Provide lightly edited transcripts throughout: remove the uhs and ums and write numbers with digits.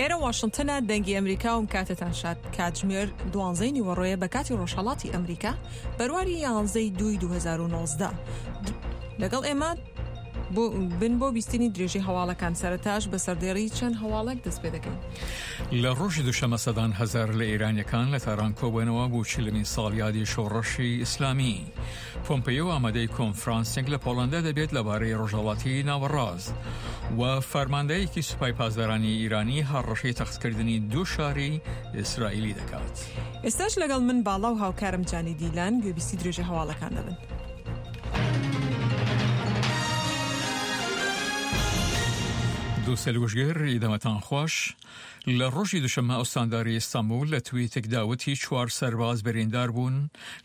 ئێرە واشنتنە دەنگی ئەمریکا و کاتتان شاد کاتژمێر دوانزەی نیوەڕۆیە بە کاتی ڕۆژهەڵاتی ئەمریکا بەرواری یانزەی دووی 2019 لەگەڵ ئێمە بن بۆ بیستنی درێژەی هەواڵەکان سەرەتاش بە سەردێڕی چەند هەواڵێک دەست پێ دەکەین. لە ڕۆژی دووشەمە سەدان هەزار لە ئێرانیەکان لە تاران کۆبوونەوە بۆ چلمین ساڵیادی شۆڕشی ئیسلامی. پۆمپەیۆ ئامادەی کۆنفرانسێک لە پۆڵەندا دەبێت لەبارەی ڕۆژهەڵاتی ناوەڕاست و فەرماندەیەکی سوپای پاسدارانی ئیرانی هەڕەشەی تەختکردنی دوو شاری ئیسرائیلی دەکات. ئێستاش لەگەڵ من باڵا و هاوکارم جانی دیلان گوێبیستی درێژەی هەواڵەکان دەبن. دووسەل وشگر دەمەتان خوش. لە ڕۆژی دوشەممە ئوستانداری ئیستانبول لە تویتێکدا وتی چوار سەرباز بریندار بوون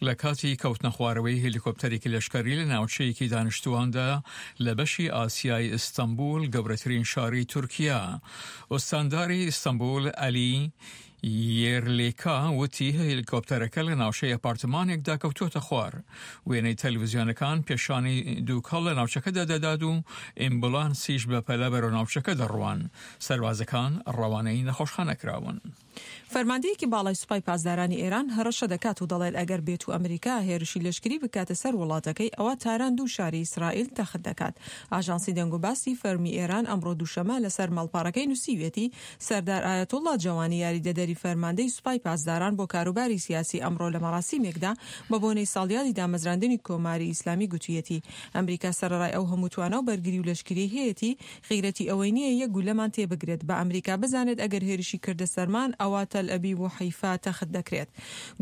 لە کاتی کەوتنەخوارەوەی هێلیکۆپتەرێکی لەشکری لە ناوچەیەکی دانیشتوواندا لە بەشی ئاسیای ئیستانبول گەورەترین شاری تورکیا. ئوستانداری ئیستانبول عەلی یێرلیکا وتی هێلیکۆپتەرەکە لە ناوچەی ئەپارتمانێکدا کەوتووەتە خوار. وێنەی تەلەڤزیۆنەکان پێشانی دووکەڵ لە ناوچەکەدا دەدات و ئیمبولانسیش بەپەلە بەرەو ناوچەکە دەڕوان. سەربازەکان ڕەوانەی نەخۆشخانە کراون. فەرماندەیەکی باڵای سوپای پاسدارانی ئێران هەڕەشە دەکات و دەڵێت ئەگەر بێتو ئەمریکا هێرشی لەشکری بکاتە سەر وڵاتەکەی ئەوا تاران دوو شاری ئیسرائیل تەخت دەکات. ئاژانسی دەنگوباسی فەرمی ئێران ئەمڕۆ دووشەمە لەسەر ماڵپەڕەکەی نووسیویەتی سەردار ئایەتوڵڵا جەوانی یاریدەدەری فەرماندەی سوپای پاسداران بۆ کاروباری سیاسی ئەمڕۆ لە مەراسیمێکدا بە بۆنەی ساڵیادی دامەزراندنی کۆماری ئیسلامی گوتویەتی ئەمریکا سەرەڕای ئەو هەموو توانا و بەرگری و لەشکریەی هەیەتی غیرەتی ئەوەی نییە یەک گولەمان تێبگرێت، با ئەمریکا بزانێت ئەگەر هێرشی کردە سەرمان ئەوا تەلئەبیب و حەیفا تەخت دەکرێت.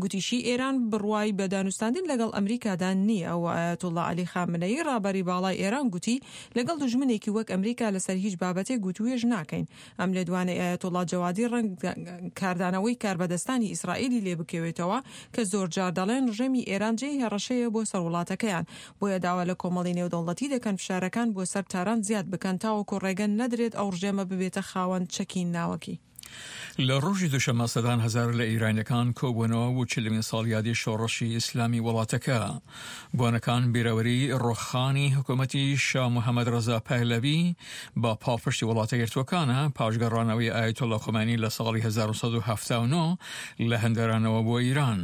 گوتیشی ئێران بڕوای بە دانوستاندن لەگەڵ ئەمریکادا نییە و ئایەتوڵڵا عەلی خامنەیی ڕابەری باڵای ئێران گوتی لەگەڵ دوژمنێکی وەک ئەمریکا لەسەر هیچ بابەتێک وتووێژ ناکەین. ئەم لێدوانەی ئایەتوڵڵا جەوادی ڕەنگ کاردانەوەی کاربەدەستانی ئیسرائیلی لێ بکەوێتەوە کە زۆرجار دەڵێن ڕژێمی ئێران جێی هەڕەشەیە بۆ سەر وڵاتەکەیان بۆیە داوا لە کۆمەڵی نێودەوڵەتی دەکەن فشارەکان بۆ سەر تاران زیاد بکەن تاوەکو ڕێگە نەدرێت ئەو ڕژێمە ببێتە خاوەن چەکی ناوەکی. لە ڕۆژی دووشەممە سەدان هەزار لە ئیرانیەکان کۆبوونەوە بۆ چلمین ساڵیادی شۆڕشی ئیسلامی وڵاتەکە. بۆنەکان بیرەوەری ڕوخانی حکوومەتی شا محەمەد ڕەزا پەهلەوی بە پاڵپشتی وڵاتە یەکگرتووەکانە پاش گەڕانەوەی ئایەتوڵڵا خومەینی لە ساڵی 1979 لە هەندەرانەوە بۆ ئیران.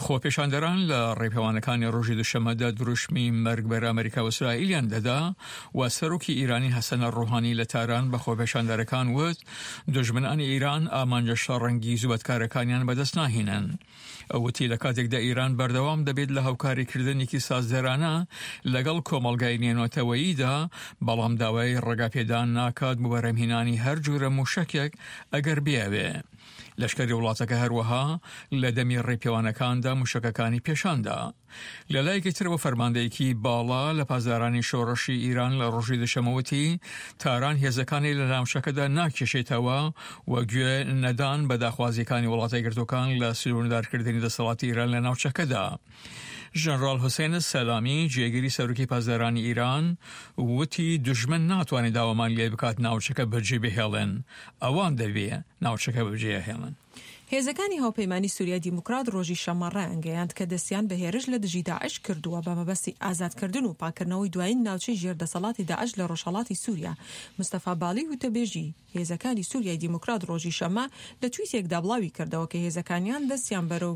خۆپێشاندەران لە ڕێپێوانەکانی ڕۆژی دوشەممەدا دروشمی مەرگ بەر ئەمریکا و ئیسرائیلیان دەدا و سەرۆکی ئیرانی حەسەن ڕۆحانی لە تاران بە خۆپێشاندەرەکان وت دوژمنانی ئیران ئامانجە شەڕەنگیز و بەدکارەکانیان بەدەست ناهێنن. ئەو وتی لە کاتێکدا ئیران بەردەوام دەبێت لە هاوکاریکردنێکی سازدەرانە لەگەڵ کۆمەڵگای نێونەتەوەییدا، بەڵام داوای ڕێگاپێدان ناکات بۆ بەرهەمهێنانی هەر جورە موشەکێک ئەگەر بیەوێ. لەشکری وڵاتەکە هەروەها لە دەمی ڕێپێوانەکاندا موشەکەکانی پێشاندا. لە لایەکی ترەوە فەرماندەیەکی باڵا لە پاسدارانی شۆڕشی ئیران لە ڕۆژی دوشەمە وتی تاران هێزەکانی لە ناوچەکەدا ناکێشێتەوە و گوێ نەدان بە داخوازیەکانی وڵاتە یەکگرتووەکان لە سنووردارکردنی دەسەڵاتی ئیران لە ناوچەکەدا. ژەنراڵ حوسێن سەلامی جێگری سەرۆکی پاسدارانی ئیران وتی دوژمن ناتوانێت داوامان لێ بکات ناوچەکە بەجێ بهێڵێن ئەوان دەبێ ناوچەکە بەجێهێڵن. هێزەکانی هاوپەیمانی سوریای دیموکرات ڕۆژی شەممە ڕایانگەیاند کە دەستیان بە هێرش لە دژی داعش کردووە بە مەبەستی ئازادکردن و پاککردنەوەی دوایین ناوچەی ژێر دەسەڵاتی داعش لە ڕۆژهەڵاتی سوریا. مستەفا بالی وتەبێژی هێزەکانی سوریای دیموکرات ڕۆژی شەممە لە تویتێکدا بڵاوی کردەوە کە هێزەکانیان دەستیان بەرەو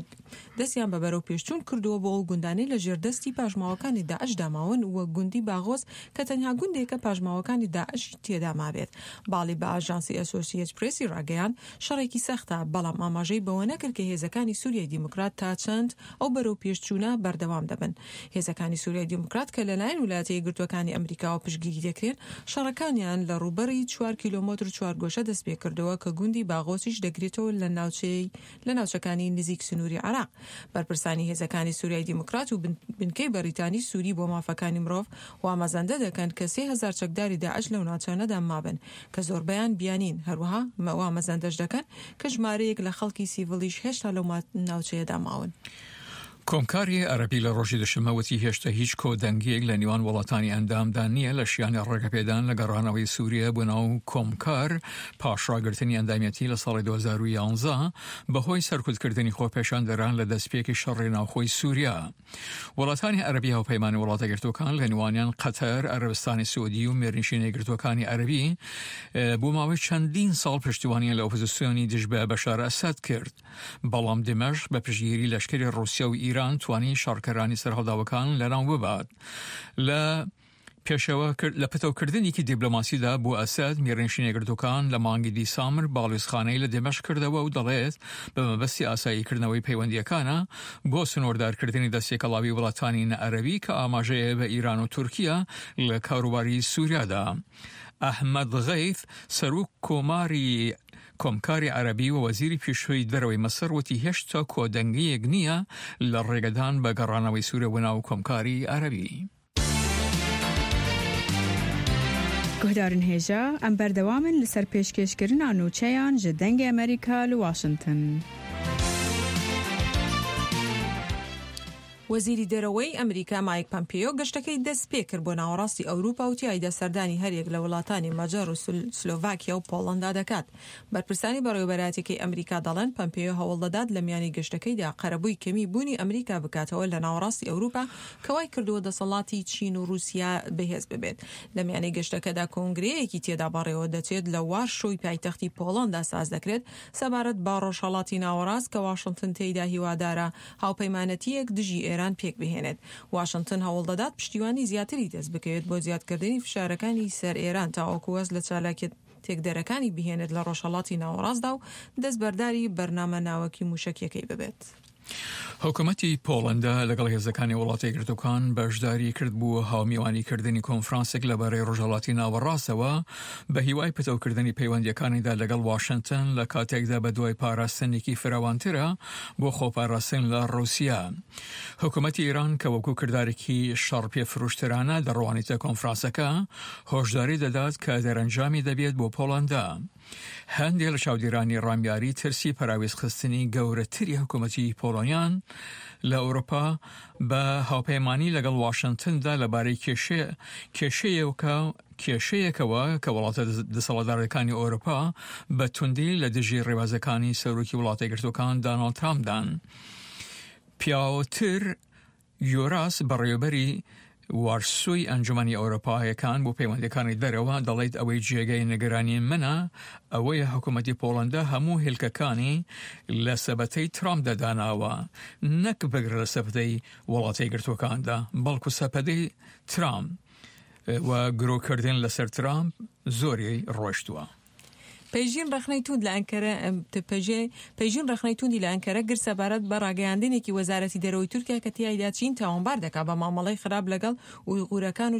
دەستیان بە بەرەوپێشچوون کردووە بۆ ئەو گوندانەی لە ژێر دەستی پاشماوەکانی داعشدا ماون وەک گوندی باغۆز کە تەنها گوندێکە پاشماوەکانی داعشی تێدا مابێت. باڵی بە ئاژانسی ئەسۆسیەت پرێسی ڕاگەیاند، شەڕێکی سەختە، بەڵام ئاماژەی بەوە نەکرد کە هێزەکانی سوریای دیموکرات تا چەند ئەو بەرەوپێشچوونە بەردەوام دەبن. هێزەکانی سوریای دیموکرات کە لەلایەن ولایەتە یەکگرتووەکانی ئەمریکاوە پشتگیری دەکرێن، شەڕەکانیان لە ڕووبەری چوار کیلۆمەتر چوارگۆشە دەستپێکردووە کە گوندی باغۆسیش دەگرێتەوە لە ناوچەی لە ناوچەکانی نزیک سنووری عێراق. بەرپرسانی هێزەکانی سوریای دیموکرات و بنکەی بەریتانی سوری بۆ مافەکانی مرۆڤ وا مەزەندە دەکەن کە 3000 چەکداری داعش لەو ناوچانەدا مابن کە زۆربەیان بیانین، هەروەها وا مەزەندەش دەکەن کە ژمارەیەک لە خەڵکی سیڤڵیش هێشتا لەو ناوچەیەدا ماون. کۆمکاری عەرەبی لە ڕۆژی دوشەممە وتی هێشتا هیچ کۆدەنگییەک لە نێوان وڵاتانی ئەندامدا نییە لە شیانی ڕێگەپێدان لە گەڕانەوەی سوریە بۆ ناو کۆمکار پاش ڕاگرتنی ئەندامیەتی لە ساڵی 2011 بەهۆی سەرکوتکردنی خۆپێشاندەران لە دەستپێکی شەڕی ناوخۆی سوریا. وڵاتانی عەرەبی هاوپەیمانی وڵاتە یەکگرتووەکان لە نێوانیان قەتەر، عەرەبستانی سعودی و میرنشینە یەکگرتووەکانی عەرەبی بۆ ماوەی چەندین ساڵ پشتیوانیان لە ئۆپۆزیسیۆنی دژ بە بەشار ئەسەد کرد. بەڵام دیمەشق بە پشتگیری لەشکری ڕووسیا و ئیران توانی شەڕکەرانی سەرهەڵداوەکان لەناو ببات. لە پێشەوە لە پتەوکردنێکی دیبلۆماسیدا بۆ ئەسەد، میرنشینە یەکگرتووەکان لە مانگی دیسامبر باڵیۆزخانەی لە دیمەشق کردەوە و دەڵێت بە مەبەستی ئاساییکردنەوەی پەیوەندییەکانە بۆ سنووردارکردنی دەستتێکەڵاوی وڵاتانی نەعەرەبی کە ئاماژەیە بە ئیران و تورکیا لە کاروباری سووریادا. ئەحمەد غەیث، سەرۆک کۆماری کۆمکاری عەرەبی و وەزیری پێشووی دەرەوەی میسر وتی هێشتا کۆدەنگییەک نییە لە ڕێگەدان بە گەڕانەوەی سووریا بۆ ناو کۆمکاری عەرەبی. Guhdarên hêja, em berdewam in li ser pêşkêşkirina nûçeyan ji Dengê Amerîka li Washington. وەزیری دەرەوەی ئەمریکا مایک پەمپێیۆ گەشتەکەی دەستپێکرد بۆ ناوەڕاستی ئەوروپا و تیایدا سەردانی هەریەک لە وڵاتانی مەجەر و سلۆڤاکیا و پۆڵەندا دەکات. بەرپرسانی بەڕێوەبەرایەتیەکەی ئەمریکا دەڵێن پەمپێیۆ هەوڵدەدات لە میانی گەشتەکەیدا قەرەبووی کەمی بوونی ئەمریکا بکاتەوە لە ناوەڕاستی ئەوروپا کە وای کردووە دەسەڵاتی چین و رووسیا بەهێز ببێت. لە میانی گەشتەکەدا کۆنگرەیەکی تێدا بەڕێوە دەچێت لە وارشۆی پایتەختی پۆڵەندا ساز دەکرێت سەبارەت بە ڕۆژهەڵاتی ناوەڕاست کە واشنتن تێیدا هیوادارە هاوپەیمانەتییەک دژی ئێران پێکبهێنێت. واشنتن هەوڵدەدات پشتیوانی زیاتری دەستبکەوێت بۆ زیادکردنی فشارەکانی سەر ئێران تاوەکو واز لە چالاکیە تێکدەرەکانی بهێنێت لە ڕۆژهەڵاتی ناوەڕاستدا و دەستبەرداری بەرنامە ناوەکی موشەکیەکەی ببێت. حکومەتی پۆڵەندا لەگەڵ هێزەکانی وڵاتە یەکگرتووەکان بەشداری کرد بۆ هاومیوانیکردنی کۆنفرانسێک لەبارەی ڕۆژهەڵاتی ناوەڕاستەوە بە هیوای پتەوکردنی پەیوەندییەکانیدا لەگەڵ واشنتن لە کاتێکدا بەدوای پاراستنێکی فراوانترە بۆ خۆپاراستن لە ڕووسیا. حکومەتی ئێران کە وەکو کردارێکی شەڕ پێفرۆشترانە دەڕوانیتە کۆنفرانسەکە، هۆشداری دەدات کە دەرەنجامی دەبێت بۆ پۆڵەندا. هەندێک لە چاودێرانی ڕامیاری ترسی پەراوێزخستنی گەورەتری حکوومەتی پۆڵۆنیان لە ئەوروپا بە هاوپەیمانی لەگەڵ واشنتندا لەبارەی کێشەیەکە کێشەیەکەوە کە وڵاتە دەسەڵاتدارەکانی ئەوروپا بە توندی لە دژی ڕێبازەکانی سەرۆکی وڵاتە یەکگرتووەکان داناڵد ترامپدان. پیاوتر یۆراس بەڕێوەبەری وارسۆی ئەنجومەنی ئەوروپایەکان بۆ پەیوەندیەکانی دەرەوە دەڵێت ئەوەی جێگەی نگەرانی منە ئەوەیە حکوومەتی پۆڵەندا هەموو هێلکەکانی لە سەبەتەی ترامپدا داناوە نەک بگرە لە سەبەتەی وڵاتە یەکگرتووەکاندا بەڵکو سەپەدەی ترامپ و گرۆکردن لەسەر ترامپ زۆری ڕۆشتووە. پەیژین ڕەخنەی توند لە ئەنکەرە پەیژین ڕەخنەی توندی لە ئەنکەرە گرت سەبارەت بە ڕاگەیاندنێکی وەزارەتی دەرەوەی تورکیا کە تیایدا چین تاوانبار دەکات بە مامەڵەی خراپ لەگەڵ ئویغورەکان و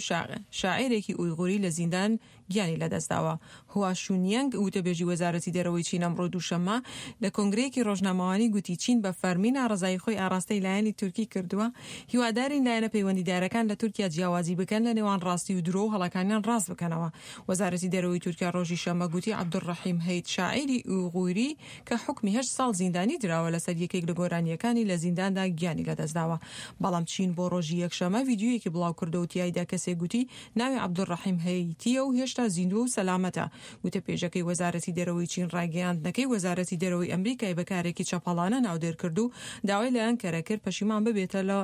شاعێرێکی ئویغوری لە زیندان گیانی لەدەستداوە. هوا شونیەنگ وتەبێژی وەزارەتی دەرەوەی چین ئەمڕۆ دووشەممە لە کۆنگرەیەکی ڕۆژنامەوانی گوتی چین بە فەرمی ناڕەزایی خۆی ئاڕاستەی لایەنی تورکی کردووە هیوادارین لایەنە پەیوەندیدارەکان لە تورکیا جیاوازی بکەن لە نێوان ڕاستی و درۆ و هەڵەکانیان ڕاست بکەنەوە. وەزارەتی دەرەوەی تورکیا ڕۆژی شەممە گوتی عەبدولڕەحیم هەیت شاعیری ئویغوری کە حوکمی هەشت ساڵ زیندانی دراوە لەسەر یەکێک لە گۆرانییەکانی لە زینداندا گیانی لەدەستداوە. بەڵام چین بۆ ڕۆژی یەکشەممە ڤیدیۆیەکی بڵاوکردەوە و تیایدا کەسێک گوتی ناوی عەبدولڕەحیم هەیتییە و هێشتا زیندووە و سەلامەتە. گوتەپێژەکەی وەزارەتی دەرەوەی چین ڕایگەیاندنەکەی وەزارەتی دەرەوەی ئەمریکای بە کارێکی چەپەڵانە ناودێر کرد و داوای لە ئەنکەرە کرد پەشیمان ببێتە لە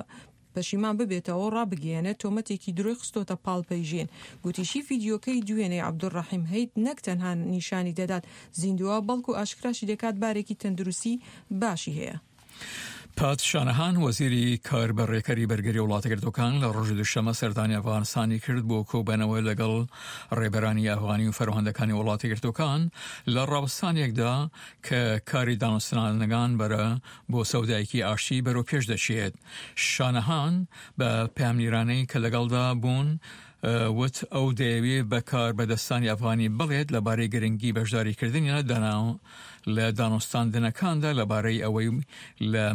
پەشیمان ببێتەوە و ڕابگەیەنێت تۆمەتێکی درۆی خستۆتە پاڵ پەیژین. گوتیشی ڤیدیۆکەی دوێنێی عەبدولڕەحیم هەیت نەک تەنها نیشانی دەدات زیندووە، بەڵکو ئاشکراشی دەکات بارێکی تەندروستی باشی هەیە. پات شانەهان وەزیری کاربەڕێکەری بەرگری وڵاتەگرتوەکان لە ڕۆژی دوشەمە سەردانی ئەفغانستانی کرد بۆ کۆبەنەوە لەگەڵ ڕێبەرانی ئەفغانی و فەرماندەکانی وڵاتەگرتوەکان لە ڕاوستانێکدا کە کاری دانوستانەکان بەرە بۆ سەودایەکی ئاشتی بەرەو پێش دەچێت. شانەهان بە پەیامنیرانەی کە لەگەڵدا بوون وت ئەو دەیەوێ بە کاربەدەستانی ئەفغانی بڵێت لەبارەی گرنگی بەشداریکردنیان لە. لە دانوستاندنەکاندا لەبارەی ئەوەی لە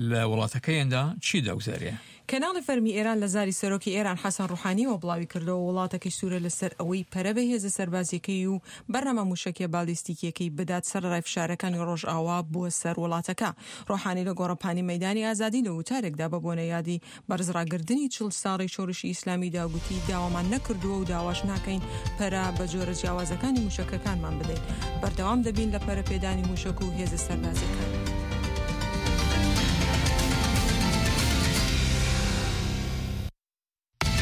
لە وڵاتەکەیاندا چی دەگوزەرێ. کەناڵی فەرمی ئێران لە زاری سەرۆکی ئێران حەسەن ڕوحانیەوە بڵاویکردەوە، وڵاتەکەی سوورە لەسەر ئەوەی پەرە بە هێزە سەربازیەکەی و بەرنامە موشەکیە بالیستیکیەکەی بدات سەرەڕای فشارەکانی ڕۆژئاوا بۆ سەر وڵاتەکە. ڕۆحانی لە گۆڕەپانی مەیدانی ئازادی لە وتارێکدا بە بۆنەی یادی بەرزڕاگردنی 40 ساڵەی شۆرشی ئیسلامیدا گوتی داوامان نەکردووە و داواش ناکەین پەرە بە جۆرە جیاوازەکانی موشەکەکانمان بدەین. بەردەوام دەبین لە پەرەپێدانی موشەک و هێزە سەربازیەکانمان.